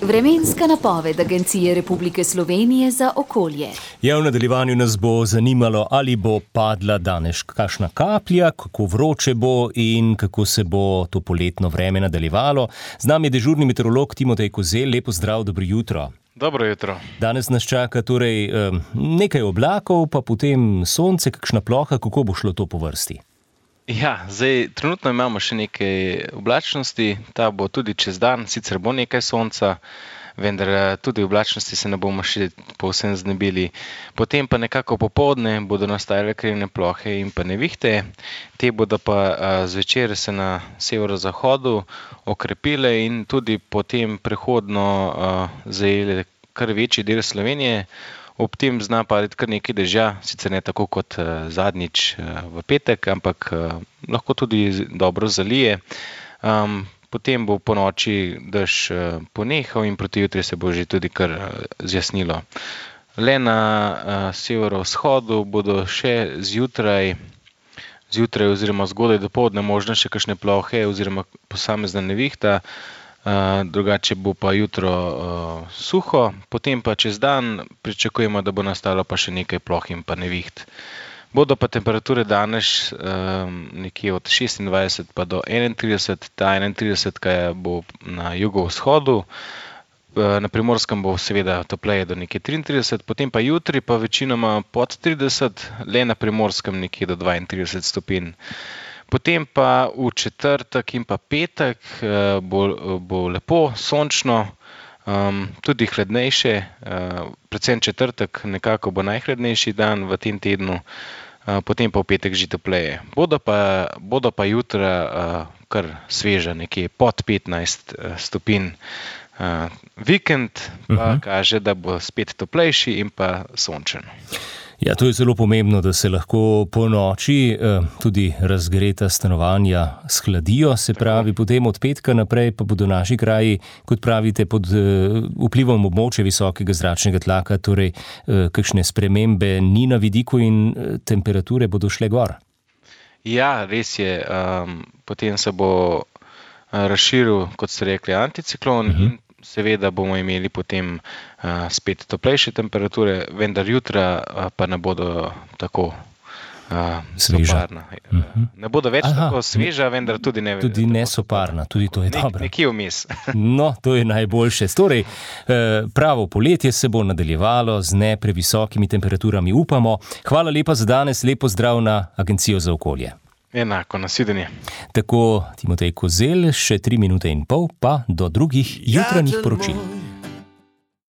Vremenska napoved Agencije Republike Slovenije za okolje. Ja, v nadaljevanju nas bo zanimalo, ali bo padla danes kakšna kaplja, kako vroče bo in kako se bo to poletno vreme nadaljevalo. Z nami je dežurni meteorolog Timotej Kozelj. Lepo zdrav, dobro jutro. Dobro jutro. Danes nas čaka torej nekaj oblakov, pa potem sonce, kakšna ploha, kako bo šlo to po vrsti? Ja, trenutno imamo še nekaj oblačnosti, ta bo tudi čez dan, sicer bo nekaj sonca, vendar tudi oblačnosti se ne bomo še povsem znebili. Potem pa nekako popoldne bodo nastajale krivne plohe in pa nevihte, te bodo pa zvečer se na severozahodu okrepile in tudi potem prehodno zajele kar večji del Slovenije. Ob tem zna padati kar nekaj dežja, sicer ne tako kot zadnjič v petek, ampak lahko tudi dobro zalije. Potem bo po noči dež ponehal in proti jutri se bo že tudi kar zjasnilo. Le na severovzhodu bodo še zjutraj oziroma zgodaj dopoldne možne še kakšne plohe oziroma posamezna nevihta. Drugače bo pa jutro suho, potem pa čez dan pričakujemo, da bo nastalo pa še nekaj ploh in pa neviht. Bodo pa temperature danes nekje od 26 pa do 31, ta 31 bo na jugovzhodu, na Primorskem bo seveda topleje do nekje 33, potem pa jutri pa večinoma pod 30, le na Primorskem nekje do 32 stopinj. Potem pa v četrtek in pa petek bo lepo, sončno, tudi hladnejše, predvsem četrtek nekako bo najhladnejši dan v tem tednu, potem pa v petek že topleje. Bodo pa jutra kar sveža, nekje pod 15 stopinj. Vikend pa kaže, da bo spet toplejši in pa sončen. Ja, to je zelo pomembno, da se lahko po noči tudi razgreta stanovanja shladijo, se pravi, potem od petka naprej pa bodo naši kraji, kot pravite, pod vplivom območja visokega zračnega tlaka, torej kakšne spremembe ni na vidiku in temperature bodo šle gor. Ja, res je, potem se bo razširil, kot ste rekli, anticiklon in seveda bomo imeli potem spet toplejše temperature, vendar jutra pa ne bodo tako soparna. Ne bodo več tako sveža, vendar tudi ne tudi ne soparna, tudi to je dobro. Nekje vmes. No, to je najboljše. Torej, pravo poletje se bo nadaljevalo z ne previsokimi temperaturami, upamo. Hvala lepa za danes, lepo zdrav na Agencijo za okolje. Enako, nasvidenje. Tako Timotej Kozelj, še 3 minute in pol, pa do drugih jutranjih poročil.